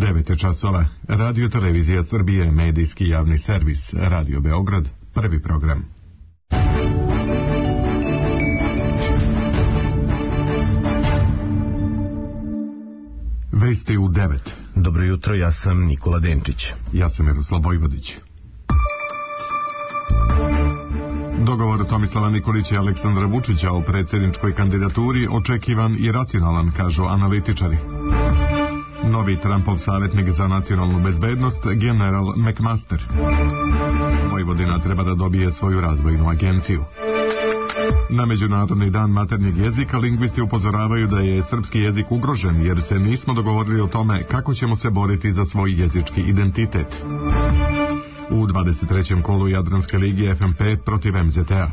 9 je časova. Radio Televizija Srbije, medijski javni servis, Radio Beograd, prvi program. Vesti u 9. Dobro jutro, ja sam Nikola Denčić. Ja sam Miroslav Vojvodić. Dogovor Tomislava Nikolića i Aleksandra Vučića o predsjedničkoj kandidaturi očekivan i racionalan, kažu analitičari. Novi Trumpov savjetnik za nacionalnu bezbednost, general McMaster. Vojvodina treba da dobije svoju razvojnu agenciju. Na Međunarodni dan maternjeg jezika lingvisti upozoravaju da je srpski jezik ugrožen jer se nismo dogovorili o tome kako ćemo se boriti za svoj jezički identitet. U 23. kolu Jadranske ligi FNP protiv MZT-a.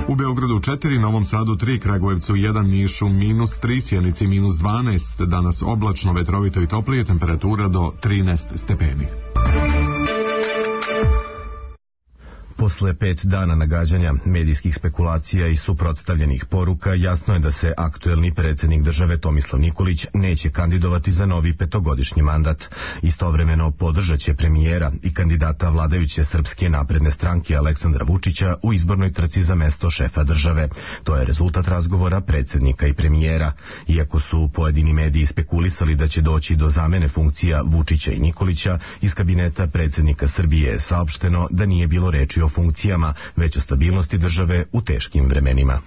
U Beogradu 4, Novom Sadu 3, Kragujevcu 1, Nišu -3, Sjenici -12, danas oblačno, vetrovito i toplije, temperatura do 13 stepeni. Posle 5 dana nagađanja, medijskih spekulacija i suprotstavljenih poruka, jasno je da se aktuelni predsjednik države Tomislav Nikolić neće kandidovati za novi 5-godišnji mandat. Istovremeno podržat će premijera i kandidata vladajuće Srpske napredne stranke Aleksandra Vučića u izbornoj trci za mesto šefa države. To je rezultat razgovora predsjednika i premijera. Iako su pojedini mediji spekulisali da će doći do zamene funkcija Vučića i Nikolića, iz kabineta predsjednika Srbije je saopšteno da nije bilo reči o funkcijama, već o stabilnosti države u teškim vremenima.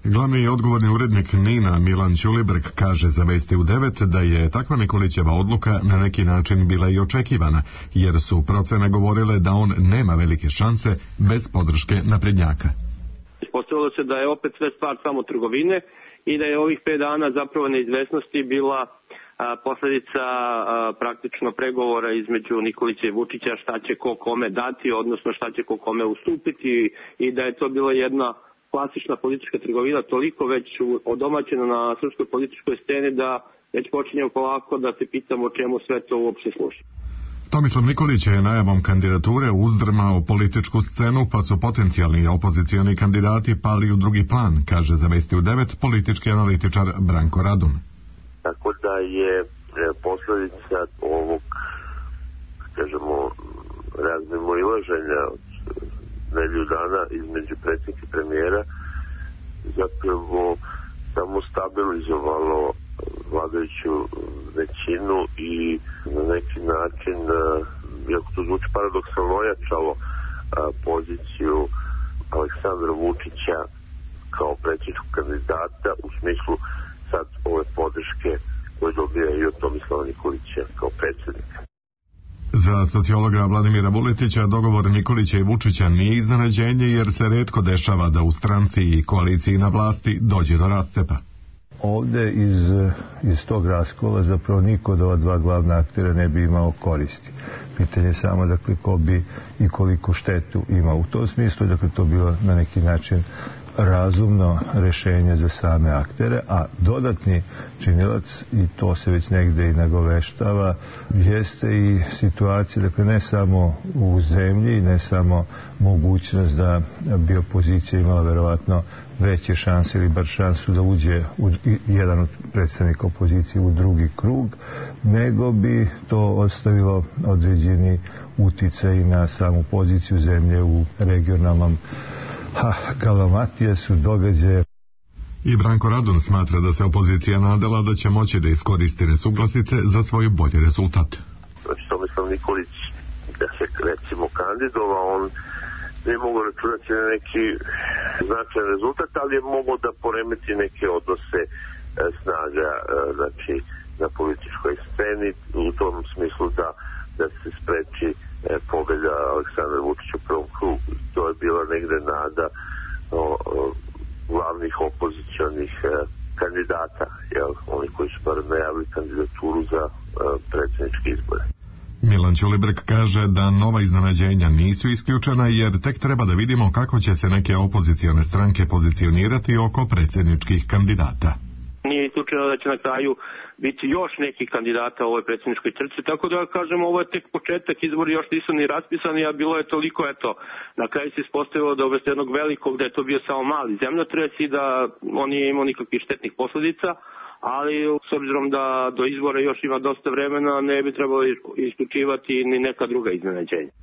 Glavni i odgovorni urednik NIN-a Milan Ćulibrk kaže za Vesti u 9 da je takva Nikolićeva odluka na neki način bila i očekivana, jer su procene govorile da on nema velike šanse bez podrške naprednjaka. Ispostavilo se da je opet sve stvar samo trgovine i da je ovih 5 dana zapravo neizvesnosti bila posljedica praktično pregovora između Nikolića i Vučića, šta će ko kome dati, odnosno šta će ko kome ustupiti, i da je to bila jedna klasična politička trgovina, toliko već odomaćena na srpskoj političkoj sceni da već počinjemo polako da se pitamo čemu sve to uopšte služi. Tomislav Nikolić je najavom kandidature uzdrmao političku scenu, pa su potencijalni opozicioni kandidati pali u drugi plan, kaže za Vesti u 9 politički analitičar Branko Radun. Tako da je posljedica ovog, kažemo, razmimoilaženja od nedelju dana između predsjednika i premijera zapravo samo stabilizovalo vladajuću većinu i na neki način, iako to zvuči paradoksalno, ojačalo poziciju Aleksandra Vučića kao predsjedničkog kandidata u smislu sad ove podrške koje dobija i od Tomislava Nikolića kao predsjednika. Za sociologa Vladimira Vuletića dogovor Nikolića i Vučića nije iznenađenje, jer se retko dešava da u stranci i koaliciji na vlasti dođe do rascepa. Ovde iz tog raskola zapravo niko od ova dva glavna aktera ne bi imao koristi. Pitanje je samo, dakle, ko bi i koliko štetu imao. U tom smislu, dakle, to bilo na neki način razumno rešenje za same aktere, a dodatni činilac, i to se već negde i nagoveštava, jeste i situacija, dakle, ne samo u zemlji, ne samo mogućnost da bi opozicija imala verovatno veće šanse ili bar šansu da uđe jedan od predstavnika opozicije u drugi krug, nego bi to ostavilo određeni uticaj na samu poziciju zemlje u regionalnom galamatijasu događaje. I Branko Radun smatra da se opozicija nadala da će moći da iskoristi nesuglasice za svoj bolji rezultat. Znači, Tomislav Nikolić, da se recimo kandidova, on ne mogu računati na neki značajan rezultat, ali je mogao da poremeti neke odnose snaga, znači, na političkoj sceni, u tom smislu da se spreči pobjeda Aleksandra Vučića u prvom krugu. To je bila negde nada glavnih opozicionih kandidata, oni koji su bar najavili kandidaturu za predsjedničke izbore. Milan Ćulibrk kaže da nova iznenađenja nisu isključena, jer tek treba da vidimo kako će se neke opozicione stranke pozicionirati oko predsjedničkih kandidata. Nije isključeno da će na kraju biti još nekih kandidata u ovoj predsjedničkoj trci, tako da kažemo, ovo je tek početak, izbori još nisu ni raspisani, a bilo je toliko, na kraju se ispostavilo da umesto jednog velikog, da je to bio samo mali zemljotres i da on nije imao nikakvih štetnih posljedica, ali s obzirom da do izbora još ima dosta vremena, ne bi trebalo isključivati ni neka druga iznenađenja.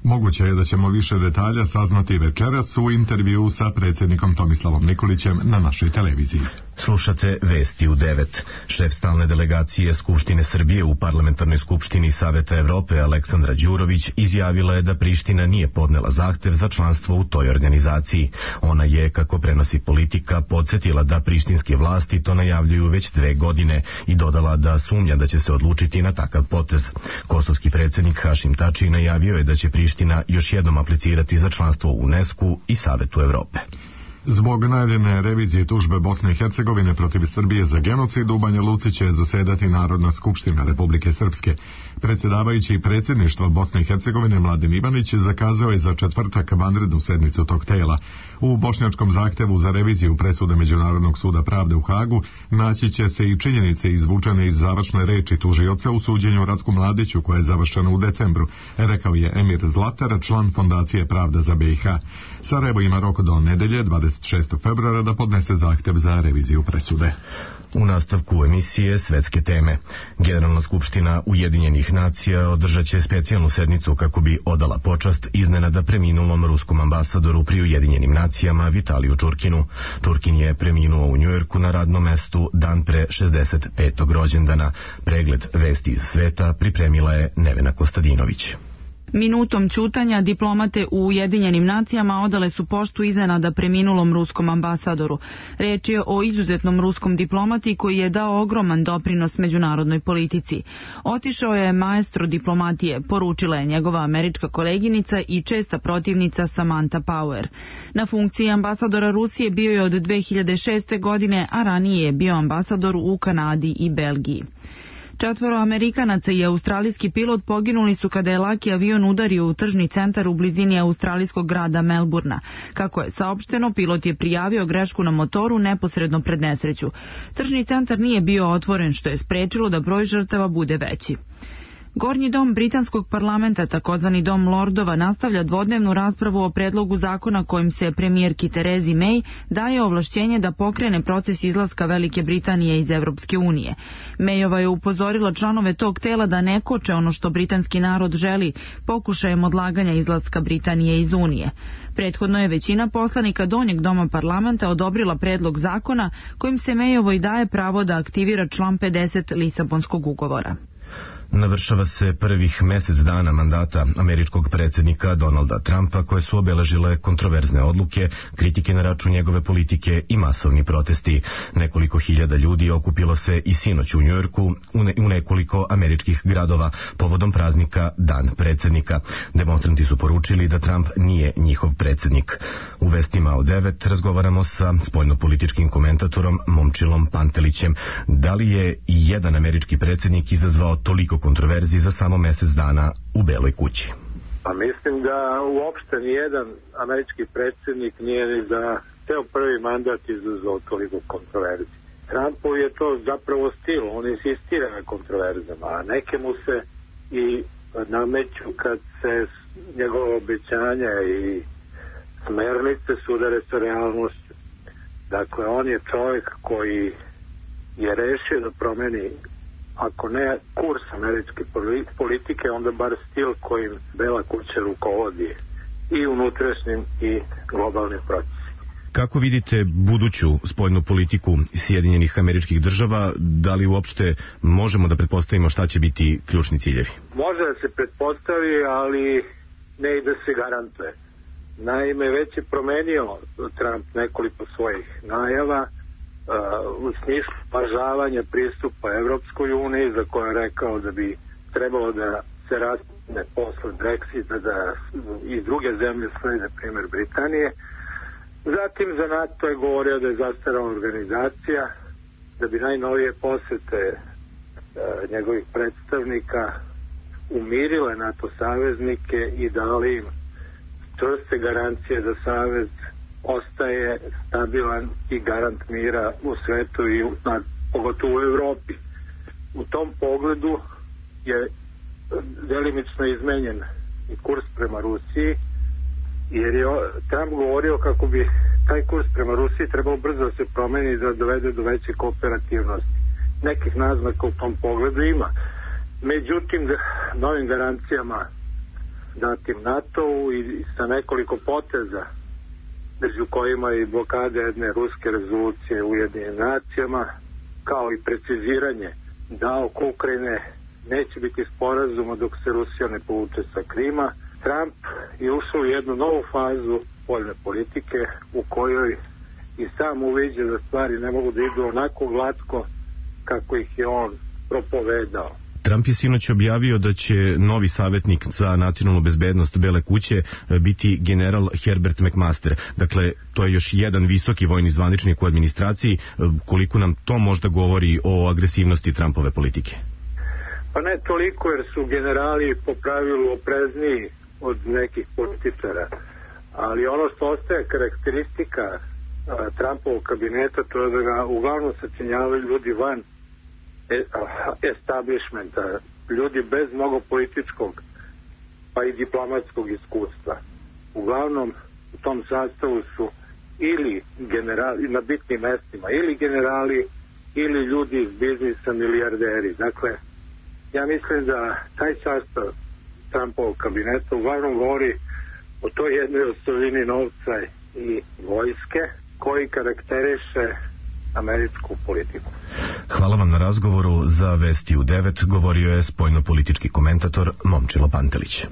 Moguće je da ćemo više detalja saznati večeras u intervju sa predsjednikom Tomislavom Nikolićem na našoj televiziji. Slušate Vesti u 9. Šef stalne delegacije Skupštine Srbije u Parlamentarnoj skupštini Saveta Evrope Aleksandra Đurović izjavila je da Priština nije podnela zahtev za članstvo u toj organizaciji. Ona je, kako prenosi Politika, podsjetila da prištinske vlasti to najavljuju već 2 godine i dodala da sumnja da će se odlučiti na takav potez. Kosovski predsjednik Hašim Tači najavio je da će Priština još jednom aplicirati za članstvo u UNESCO i Savetu Evrope. Zbog najavljene revizije tužbe Bosne i Hercegovine protiv Srbije za genocid u Banja Luci će zasedati Narodna skupština Republike Srpske. Predsjedavajući predsjedništva Bosne i Hercegovine Mladen Ivanić zakazao je za četvrtak vanrednu sednicu tog tela. U bošnjačkom zahtevu za reviziju presude Međunarodnog suda pravde u Hagu naći će se i činjenice izvučene iz završne reči tužioca u suđenju Ratku Mladiću koje je završeno u decembru, rekao je Emir Zlatar, član Fondacije Pravda za BiH. Sarajevo ima rok do nedelje 26. februara da podnese zahtev za reviziju presude. U nastavku emisije Svetske teme. Generalna skupština Ujedinjenih nacija održat će specijalnu sednicu kako bi odala počast iznenada preminulom ruskom ambasadoru pri Ujedinjenim nacijama Vitaliju Čurkinu. Čurkin je preminuo u Njujorku na radnom mestu dan pre 65. rođendana. Pregled vesti iz sveta pripremila je Nevena Kostadinović. Minutom ćutanja diplomate u Ujedinjenim nacijama odale su poštu iznenada preminulom ruskom ambasadoru. Reč je o izuzetnom ruskom diplomati koji je dao ogroman doprinos međunarodnoj politici. Otišao je maestro diplomatije, poručila je njegova američka koleginica i česta protivnica Samantha Power. Na funkciji ambasadora Rusije bio je od 2006. godine, a ranije je bio ambasador u Kanadi i Belgiji. 4 Amerikanaca i australijski pilot poginuli su kada je laki avion udario u tržni centar u blizini australijskog grada Melburna. Kako je saopšteno, pilot je prijavio grešku na motoru neposredno pred nesreću. Tržni centar nije bio otvoren, što je sprečilo da broj žrtava bude veći. Gornji dom britanskog parlamenta, takozvani dom lordova, nastavlja dvodnevnu raspravu o predlogu zakona kojim se premijerki Terezi May daje ovlašćenje da pokrene proces izlaska Velike Britanije iz Evropske unije. Mayova je upozorila članove tog tela da ne koče ono što britanski narod želi, pokušajem odlaganja izlaska Britanije iz Unije. Prethodno je većina poslanika donjeg doma parlamenta odobrila predlog zakona kojim se Mayovoj daje pravo da aktivira član 50 Lisabonskog ugovora. Navršava se prvih mjesec dana mandata američkog predsjednika Donalda Trumpa koje su obeležile kontroverzne odluke, kritike na račun njegove politike i masovni protesti. Nekoliko hiljada ljudi okupilo se i sinoć u Njujorku u nekoliko američkih gradova povodom praznika Dan predsjednika. Demonstranti su poručili da Trump nije njihov predsjednik. U vestima od 9 razgovaramo sa spoljnopolitičkim komentatorom Momčilom Pantelićem. Da li je i jedan američki predsjednik izazvao toliko kontroverziji za samo mjesec dana u Beloj kući? Pa mislim da uopšte nijedan američki predsjednik nije ni za ceo prvi mandat izazvao toliko kontroverziji. Trumpu je to zapravo stil, on insistira na kontroverzama, a neke mu se i nameću kad se njegove obećanja i smernice sudare sa realnošću. Dakle, on je čovjek koji je rešio da promeni, ako ne kurs američke politike, onda bar stil kojim Bela kuća rukovodi i unutrašnjim i globalnim procesima. Kako vidite buduću spoljnu politiku Sjedinjenih Američkih Država? Da li uopšte možemo da pretpostavimo šta će biti ključni ciljevi? Može da se pretpostavi, ali ne i da se garantuje. Naime, već je promenio Trump nekoliko svojih najava u smislu pažavanja pristupa Evropskoj uniji, za koje je rekao da bi trebalo da se raspne posle Brexita, da i druge zemlje slede primjer Britanije. Zatim za NATO je govorio da je zastarala organizacija, da bi najnovije posete njegovih predstavnika umirile NATO saveznike i dali im čvrste garancije da savez ostaje stabilan i garant mira u svetu i pogotovo u Evropi. U tom pogledu je delimično izmenjen i kurs prema Rusiji, jer je Trump govorio kako bi taj kurs prema Rusiji trebao brzo da se promeni da dovede do veće kooperativnosti. nekih naznaka u tom pogledu ima. Međutim, novim garancijama datim NATO-u i sa nekoliko poteza, među kojima i blokade jedne ruske rezolucije u Ujedinjenim nacijama, kao i preciziranje da oko Ukrajine neće biti sporazuma dok se Rusija ne povuče sa Krima, Trump je ušao u jednu novu fazu spoljne politike u kojoj i sam uviđa da stvari ne mogu da idu onako glatko kako ih je on propovedao. Trump je sinoć objavio da će novi savjetnik za nacionalnu bezbednost Bele kuće biti general Herbert McMaster. Dakle, to je još jedan visoki vojni zvaničnik u administraciji. Koliko nam to možda govori o agresivnosti Trumpove politike? Pa ne toliko, jer su generali po pravilu oprezniji od nekih političara. Ali ono što ostaje karakteristika Trumpovog kabineta, to je da ga uglavnom sačinjavaju ljudi van establishmenta, ljudi bez mnogo političkog pa i diplomatskog iskustva. Uglavnom u tom sastavu su ili generali na bitnim mestima, ili generali, ili ljudi iz biznisa, milijarderi. Dakle, ja mislim da taj sastav Trumpovog kabineta uglavnom govori o toj jednoj osobini novca i vojske koji karakteriše američku politiku. Hvala vam na razgovoru. Za Vesti u 9 govorio je spoljno-politički komentator Momčilo Pantelić.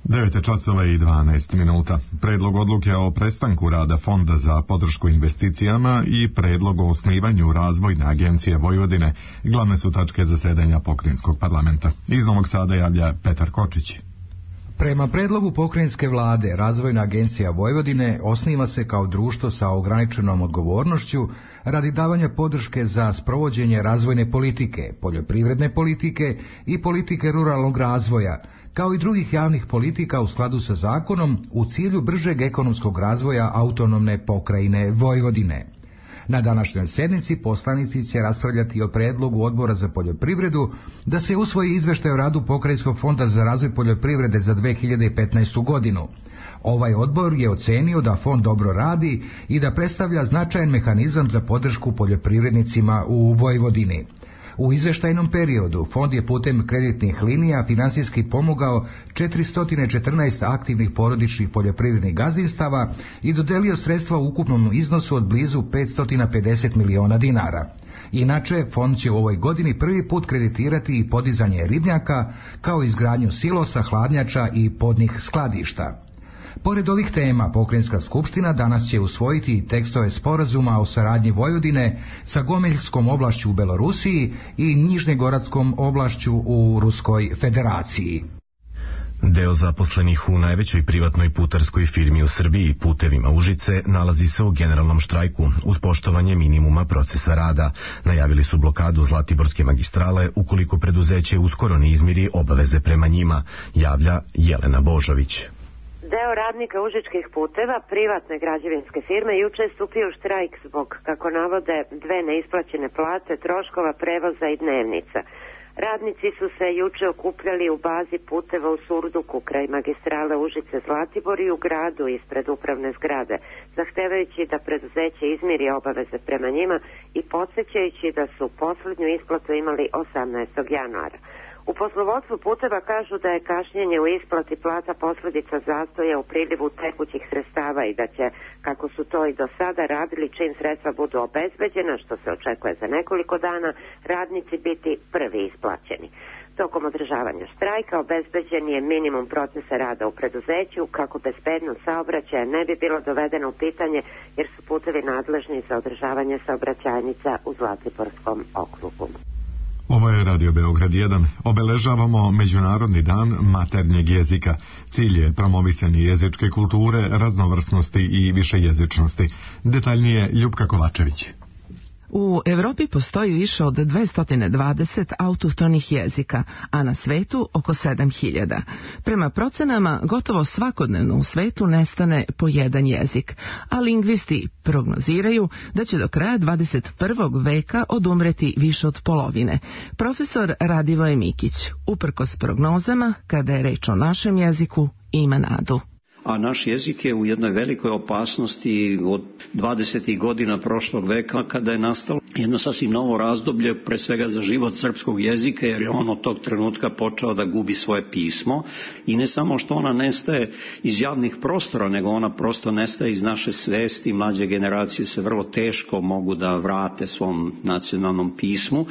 9:12. Predlog odluke o prestanku rada Fonda za podršku investicijama i predlog o osnivanju Razvojne agencije Vojvodine glavne su tačke zasedanja Pokrajinskog parlamenta. Iz Novog Sada javlja Petar Kočić. Prema predlogu pokrajinske vlade, Razvojna agencija Vojvodine osniva se kao društvo sa ograničenom odgovornošću radi davanja podrške za sprovođenje razvojne politike, poljoprivredne politike i politike ruralnog razvoja, kao i drugih javnih politika u skladu sa zakonom u cilju bržeg ekonomskog razvoja autonomne pokrajine Vojvodine. Na današnjoj sednici poslanici će raspravljati o predlogu Odbora za poljoprivredu da se usvoji izveštaj o radu Pokrajinskog fonda za razvoj poljoprivrede za 2015. godinu. Ovaj odbor je ocenio da fond dobro radi i da predstavlja značajan mehanizam za podršku poljoprivrednicima u Vojvodini. U izveštajnom periodu fond je putem kreditnih linija finansijski pomogao 414 aktivnih porodičnih poljoprivrednih gazdinstava i dodelio sredstva u ukupnom iznosu od blizu 550 miliona dinara. Inače, fond će u ovoj godini prvi put kreditirati i podizanje ribnjaka, kao izgradnju silosa, hladnjača i podnih skladišta. Pored ovih tema, Pokrajinska skupština danas će usvojiti tekstove sporazuma o saradnji Vojvodine sa Gomeljskom oblašću u Belorusiji i Nižnegoradskom oblašću u Ruskoj federaciji. Deo zaposlenih u najvećoj privatnoj putarskoj firmi u Srbiji, Putevima Užice, nalazi se u generalnom štrajku uz poštovanje minimuma procesa rada. Najavili su blokadu Zlatiborske magistrale ukoliko preduzeće uskoro ne izmiri obaveze prema njima, javlja Jelena Božović. Deo radnika Užičkih puteva, privatne građevinske firme, juče je stupio u štrajk zbog, kako navode, 2 neisplaćene plate, troškova prevoza i dnevnica. Radnici su se juče okupljali u bazi puteva u Surduku kraj magistrale Užice-Zlatibor i u gradu ispred upravne zgrade, zahtevajući da preduzeće izmiri obaveze prema njima i podsjećajući da su poslednju isplatu imali 18. januara. U poslovodstvu puteva kažu da je kašnjenje u isplati plata posljedica zastoja u prilivu tekućih sredstava i da će, kako su to i do sada radili, čim sredstva budu obezbeđena, što se očekuje za nekoliko dana, radnici biti prvi isplaćeni. Tokom održavanja štrajka obezbeđen je minimum procesa rada u preduzeću kako bezbednost saobraćaja ne bi bilo dovedeno u pitanje, jer su putevi nadležni za održavanje saobraćajnica u Zlatiborskom okrugu. Ovo je Radio Beograd 1. Obeležavamo Međunarodni dan maternjeg jezika. Cilj je promovisanje jezičke kulture, raznovrsnosti i višejezičnosti. Detaljnije Ljupka Kovačević. U Evropi postoji više od 220 autohtonih jezika, a na svetu oko 7000. Prema procenama, gotovo svakodnevno u svetu nestane po jedan jezik, a lingvisti prognoziraju da će do kraja 21. veka odumreti više od polovine. Profesor Radivoje Mikić, uprkos prognozama, kada je reč o našem jeziku, ima nadu. a naš jezik je u jednoj velikoj opasnosti od 20. godina prošlog veka, kada je nastalo jedno sasvim novo razdoblje, pre svega za život srpskog jezika, jer je on od tog trenutka počeo da gubi svoje pismo i ne samo što ona nestaje iz javnih prostora, nego ona prosto nestaje iz naše svesti. Mlađe generacije se vrlo teško mogu da vrate svom nacionalnom pismu.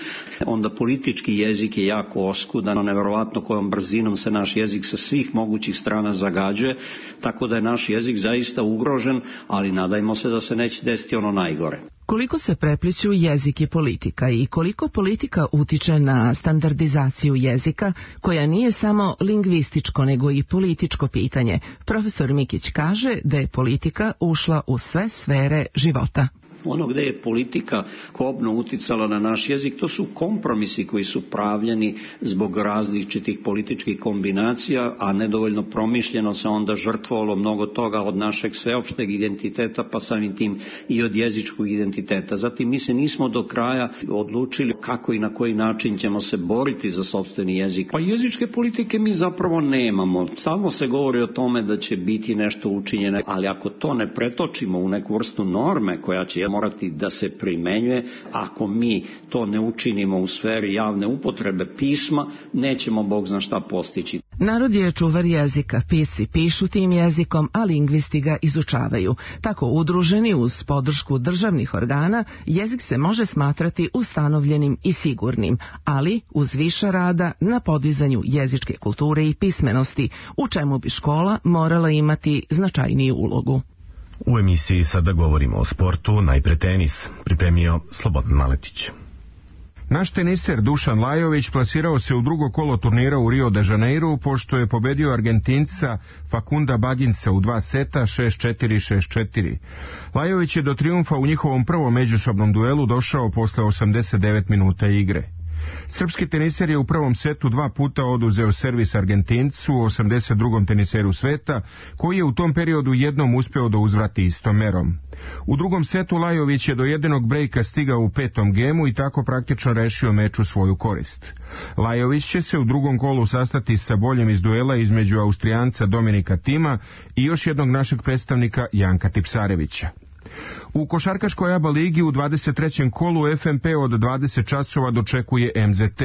Onda politički jezik je jako oskudan, neverovatno kojom brzinom se naš jezik sa svih mogućih strana zagađuje, tako da je naš jezik zaista ugrožen, ali nadajmo se da se neće desiti ono najgore. Koliko se prepliću jezik i politika i koliko politika utiče na standardizaciju jezika, koja nije samo lingvističko nego i političko pitanje, profesor Mikić kaže da je politika ušla u sve sfere života. Ono gde je politika kobno uticala na naš jezik, to su kompromisi koji su pravljeni zbog različitih političkih kombinacija, a nedovoljno promišljeno se onda žrtvovalo mnogo toga od našeg sveopšteg identiteta, pa samim tim i od jezičkog identiteta. Zatim mi se nismo do kraja odlučili kako i na koji način ćemo se boriti za sopstveni jezik. Pa jezičke politike mi zapravo nemamo. Stalno se govori o tome da će biti nešto učinjeno, ali ako to ne pretočimo u neku vrstu norme koja će morati da se primenjuje, ako mi to ne učinimo u sferi javne upotrebe pisma, nećemo Bog zna šta postići. Narod je čuvar jezika, pisci pišu tim jezikom, a lingvisti ga izučavaju. Tako udruženi uz podršku državnih organa, jezik se može smatrati ustanovljenim i sigurnim, ali uz više rada na podizanju jezičke kulture i pismenosti, u čemu bi škola morala imati značajniju ulogu. U emisiji sada govorimo o sportu, najpre tenis, pripremio Slobodan Maletić. Naš teniser Dušan Lajović plasirao se u drugo kolo turnira u Rio de Janeiru, pošto je pobedio Argentinca Facunda Baginsa u 2 seta 6-4, 6-4. Lajović je do trijumfa u njihovom prvom međusobnom duelu došao posle 89 minuta igre. Srpski teniser je u prvom setu 2 puta oduzeo servis Argentincu, 82. teniseru sveta, koji je u tom periodu jednom uspeo da uzvrati istom merom. U drugom setu Lajović je do jedinog brejka stigao u 5. gemu i tako praktično rešio meč u svoju korist. Lajović će se u drugom kolu sastati sa boljim iz duela između Austrijanca Dominika Tima i još jednog našeg predstavnika Janka Tipsarevića. U košarkaškoj ABA ligi u 23. kolu FNP od 20 časova dočekuje MZT.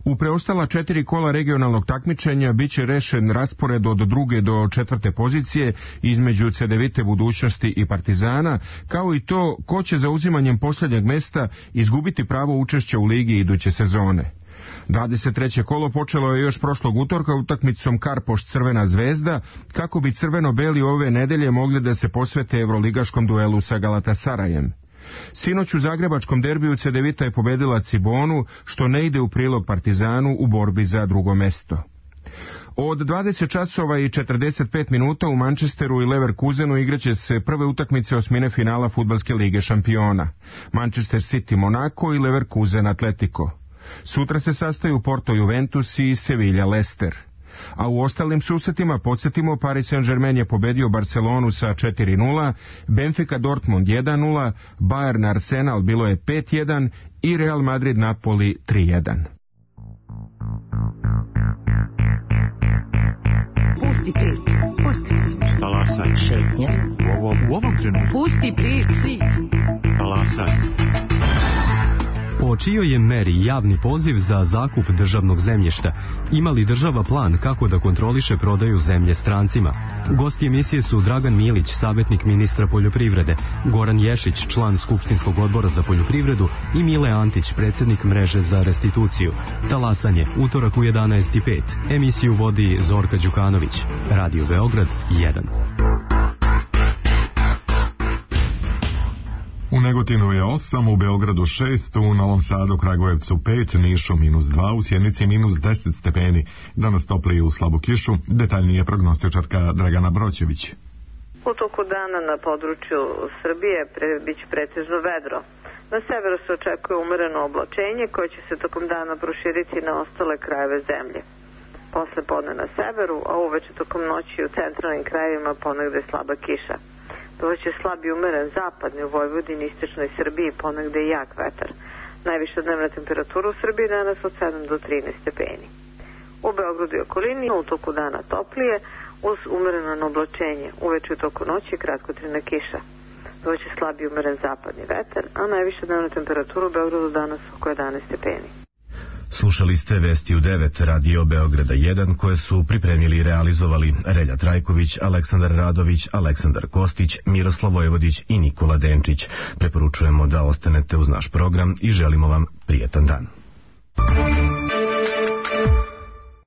U preostala 4 kola regionalnog takmičenja biće rešen raspored od 2. do 4. pozicije između Cedevite Budućnosti i Partizana, kao i to ko će za uzimanjem posljednjeg mesta izgubiti pravo učešća u ligi iduće sezone. 23. kolo počelo je još prošlog utorka utakmicom Karpoš Crvena zvezda, kako bi crveno-beli ove nedelje mogli da se posvete evroligaškom duelu sa Galatasarajem. Sinoć u zagrebačkom derbiju Cedevita je pobedila Cibonu, što ne ide u prilog Partizanu u borbi za drugo mesto. Od 20 časova i 45 minuta u Manchesteru i Leverkusenu igraće se prve utakmice osmine finala Fudbalske lige šampiona. Manchester City Monaco i Leverkusen Atletico. Sutra se sastaju Porto Juventus i Sevilla Leicester. A u ostalim susretima podsjetimo, Paris Saint-Germain je pobedio Barcelonu sa 4-0, Benfica Dortmund 1-0, Bayern Arsenal bilo je 5-1 i Real Madrid Napoli 3-1. Pusti priču, pusti priču. Talasaj. Šetnja. U ovom trenutku. Pusti priču. Talasaj. O čijoj je meri javni poziv za zakup državnog zemljišta? Ima li država plan kako da kontroliše prodaju zemlje strancima? Gosti emisije su Dragan Milić, savjetnik ministra poljoprivrede, Goran Ješić, član Skupštinskog odbora za poljoprivredu i Mile Antić, predsjednik mreže za restituciju. Talasanje, utorak u 11:05. Emisiju vodi Zorka Đukanović. Radio Beograd 1. U Negotinu je 8, u Beogradu 6, u Novom Sadu, Kragujevcu 5, Nišu -2, u Sjenici -10 stepeni. Danas toplije u slabu kišu, detaljnije prognostičarka Dragana Broćević. U toku dana na području Srbije biće pretežno vedro. Na severu se očekuje umereno oblačenje koje će se tokom dana proširiti na ostale krajeve zemlje. Posle podne na severu, a uveče tokom noći u centralnim krajevima ponegde slaba kiša. Doći slab i umeren zapadni u Vojvodini, istočnoj Srbiji, ponegde i jak vetar. Najviša dnevna temperatura u Srbiji danas od 7 do 13 stepeni. U Beogradu i okolini u toku dana toplije, uz umereno oblačenje. Uveče u toku noći kratkotrajna kiša. Doći slabi umeren zapadni vetar, a najviša dnevna temperatura u Beogradu danas oko 11 stepeni. Slušali ste Vesti u 9 Radio Beograda 1 koje su pripremili i realizovali Relja Trajković, Aleksandar Radović, Aleksandar Kostić, Miroslav Vojvodić i Nikola Denčić. Preporučujemo da ostanete uz naš program i želimo vam prijetan dan.